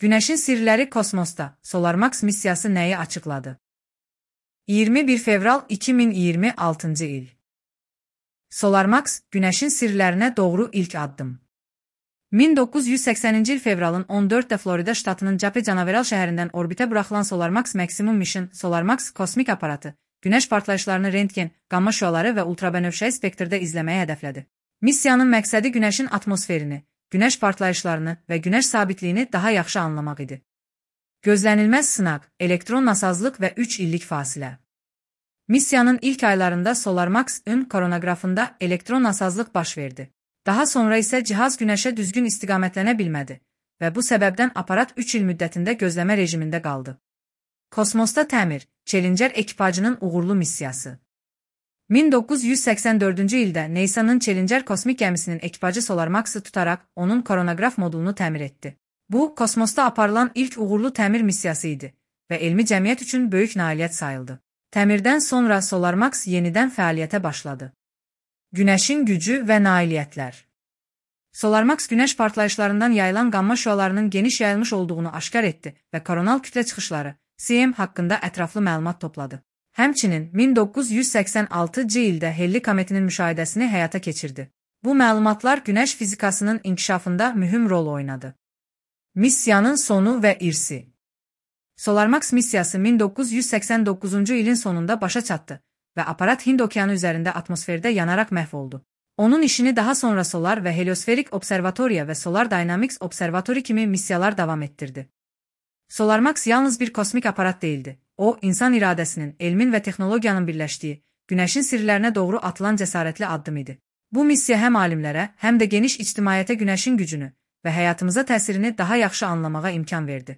Günəşin sirləri kosmosda. SolarMax missiyası nəyi açıqladı? 21 fevral 2026-cı il. SolarMax, Günəşin sirlərinə doğru ilk addım. 1980-ci il fevralın 14-də Florida ştatının Cape Canaveral şəhərindən orbitə buraxılan SolarMax Maximum Mission SolarMax kosmik aparatı, Günəş partlayışlarını rentgen, qamma şüaları və ultrabənövşəyi spektrdə izləməyi hədəflədi. Missiyanın məqsədi Günəşin atmosferini, Günəş partlayışlarını və Günəş sabitliyini daha yaxşı anlamaq idi. Gözlənilməz sınaq, elektron nasazlıq və 3 illik fasilə. Missiyanın ilk aylarında SolarMax-ın koronoqrafında elektron nasazlıq baş verdi. Daha sonra isə cihaz Günəşə düzgün istiqamətlənə bilmədi və bu səbəbdən aparat 3 il müddətində gözləmə rejimində qaldı. Kosmosda təmir, Challenger ekipajının uğurlu missiyası. 1984-cü ildə NASA'nın Challenger kosmik gəmisinin ekipajı SolarMax-ı tutaraq onun koronoqraf modulunu təmir etdi. Bu, kosmosda aparılan ilk uğurlu təmir missiyası idi və elmi cəmiyyət üçün böyük nailiyyət sayıldı. Təmirdən sonra SolarMax yenidən fəaliyyətə başladı. Günəşin gücü və nailiyyətlər. SolarMax Günəş partlayışlarından yayılan qamma şüalarının geniş yayılmış olduğunu aşkar etdi və koronal kütlə çıxışları, CM haqqında ətraflı məlumat topladı. Həmçinin 1986-cı ildə Halley kometinin müşahidəsini həyata keçirdi. Bu məlumatlar Günəş fizikasının inkişafında mühüm rol oynadı. Missiyanın sonu və irsi. SolarMax missiyası 1989-cu ilin sonunda başa çatdı və aparat Hind okeanı üzərində atmosferdə yanaraq məhv oldu. Onun işini daha sonra Solar və Heliosferik Observatoriya və Solar Dynamics Observatory kimi missiyalar davam etdirdi. SolarMax yalnız bir kosmik aparat değildi. O, insan iradəsinin, elmin və texnologiyanın birləşdiyi, Günəşin sirlərinə doğru atılan cəsarətli addım idi. Bu missiya həm alimlərə, həm də geniş ictimaiyyətə Günəşin gücünü və həyatımıza təsirini daha yaxşı anlamağa imkan verdi.